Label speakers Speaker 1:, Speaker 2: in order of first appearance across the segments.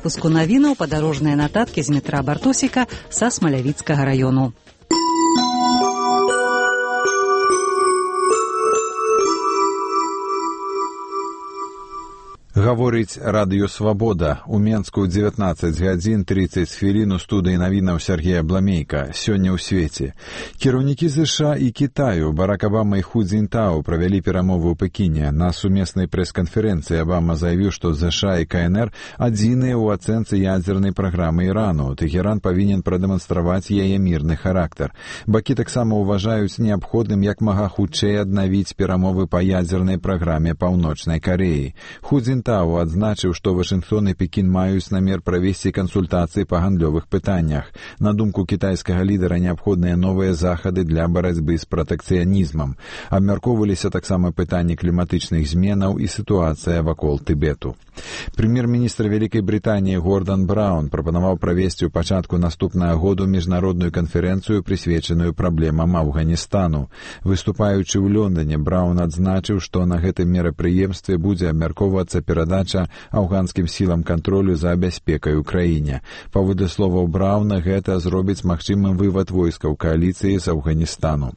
Speaker 1: выпуску навінаў падарожныя нататкі з Дмітра Бартосіка са Смалявіцкага раёну.
Speaker 2: Гаворыць радыё «Свабода». У Менску 19 гадзін 30 хвілін у студыі навінаў Сергея Бламейка. Сёння ў свеце. Кіраўнікі США і Кітаю Барак Абама і Ху Цзіньтао правялі перамовы ў Пекіне. На сумеснай прэс-канферэнцыі Абама заявіў, што США і КНР адзіныя ў ацэнцы ядзернай праграмы Ірану. Тэхеран павінен прадэманстраваць яе мірны характар. Бакі таксама ўважаюць неабходным як мага хутчэй аднавіць перамовы па ядзернай праграме Паўночнай Карэі. Ху Цзіньтао адзначыў, што Вашынгтон і Пекін маюць намер правесці кансультацыі па гандлёвых пытаннях. На думку кітайскага лідара, неабходныя новыя захады для барацьбы з пратэкцыянізмам. Абмяркоўваліся таксама пытанні кліматычных зменаў і сітуацыя вакол Тыбету. Прэм'ер-міністр Вялікай Брытаніі Гордан Браўн прапанаваў правесці ў пачатку наступнага году міжнародную канферэнцыю, прысвечаную праблемам Афганістану. Выступаючы ў Лондоне, Браўн адзначыў, што на гэтым мерапрыемстве будзе абмяркоўвацца перадача афганскім сілам кантролю за бяспекай у краіне. Паводле словаў Браўна, гэта зробіць магчымым вывад войскаў кааліцыі з Афганістану.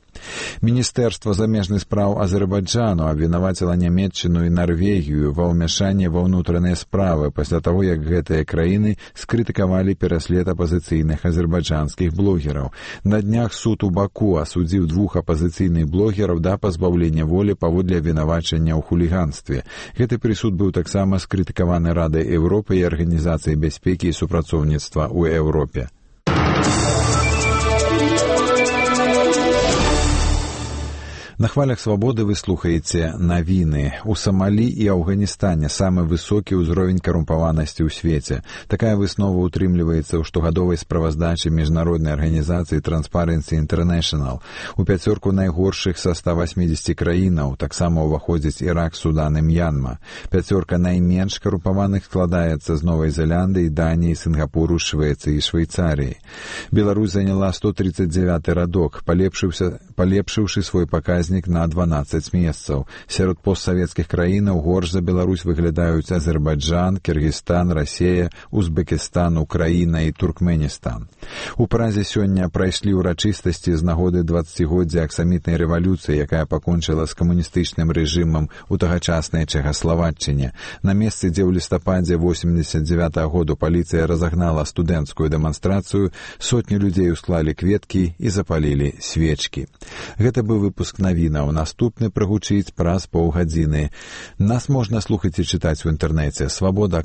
Speaker 2: Міністэрства замежных спраў Азербайджану абвінаваціла Нямецчыну і Нарвегію ва ўмяшанні ва ўнутраныя справы пасля таго, як гэтыя краіны скрытыкавалі пераслед апазіцыйных азербайджанскіх блогераў. На днях суд у Баку асудзіў 2 апазіцыйных блогераў да пазбаўлення волі паводле абвінавачання ў хуліганстве. Гэты прысуд быў таксама скрытыкаваны Радай Еўропы і Арганізацыяй бяспекі і супрацоўніцтва ў Еўропе. На хвалях «Свабоды» вы слухаеце навіны. У Самалі і Афганістане самы высокі ўзровень карумпаванасці ў свеце. Такая выснова утрымліваецца ў штогадовай справаздачы міжнароднай арганізацыі Transparency International. У пяцёрку найгоршых са 180 краінаў таксама ўваходзяць Ірак, Судан і М'янма. Пяцёрка найменш карумпаваных складаецца з Новай Зеландыі, Даніі, Сінгапуру, Швецыі і Швейцарыі. Беларусь заняла 139 радок, палепшыўшы свой паказнік на 12 месцаў. Сярод постсавецкіх краінаў горш за Беларусь выглядаюць Азербайджан, Кыргызстан, Расія, Узбекістан, Украіна і Туркменістан. У Празе сёння прайшлі ўрачыстасці з нагоды 20годдзя аксамітнай рэвалюцыі, якая пакончыла з камуністычным рэжымам у тагачаснай Чэхаславаччыне. На месцы, дзе ў лістападзе 89 году паліцыя разагнала студэнцкую дэманстрацыю, сотні людзей усклалі кветкі і запалілі свечкі. Гэта быў выпуск навінаў. Наступны прагучыць праз паўгадзіны. Нас можна слухаць і чытаць у інтэрнэце. Свабода.